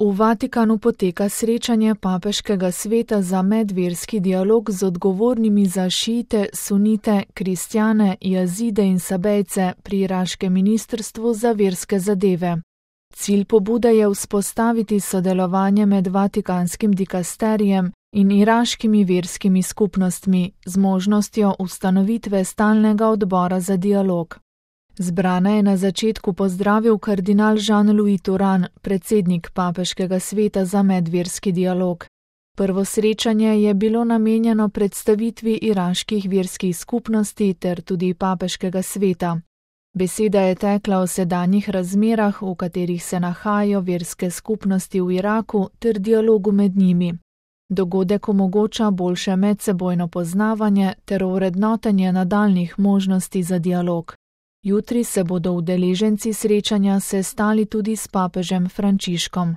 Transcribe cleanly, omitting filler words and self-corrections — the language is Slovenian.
V Vatikanu poteka srečanje Papeškega sveta za medverski dialog z odgovornimi za šiite, sunite, kristjane, jazide in sabejce pri iraškem ministrstvu za verske zadeve. Cilj pobude je vzpostaviti sodelovanje med vatikanskim dikasterijem in iraškimi verskimi skupnostmi z možnostjo ustanovitve stalnega odbora za dialog. Zbrane je na začetku pozdravil kardinal Jean-Louis Turan, predsednik Papeškega sveta za medverski dialog. Prvo srečanje je bilo namenjeno predstavitvi iraških verskih skupnosti ter tudi Papeškega sveta. Beseda je tekla o sedanjih razmerah, v katerih se nahajajo verske skupnosti v Iraku ter dialogu med njimi. Dogodek omogoča boljše medsebojno poznavanje ter ovrednotenje nadaljnjih možnosti za dialog. Jutri se bodo udeleženci srečanja sestali tudi s papežem Frančiškom.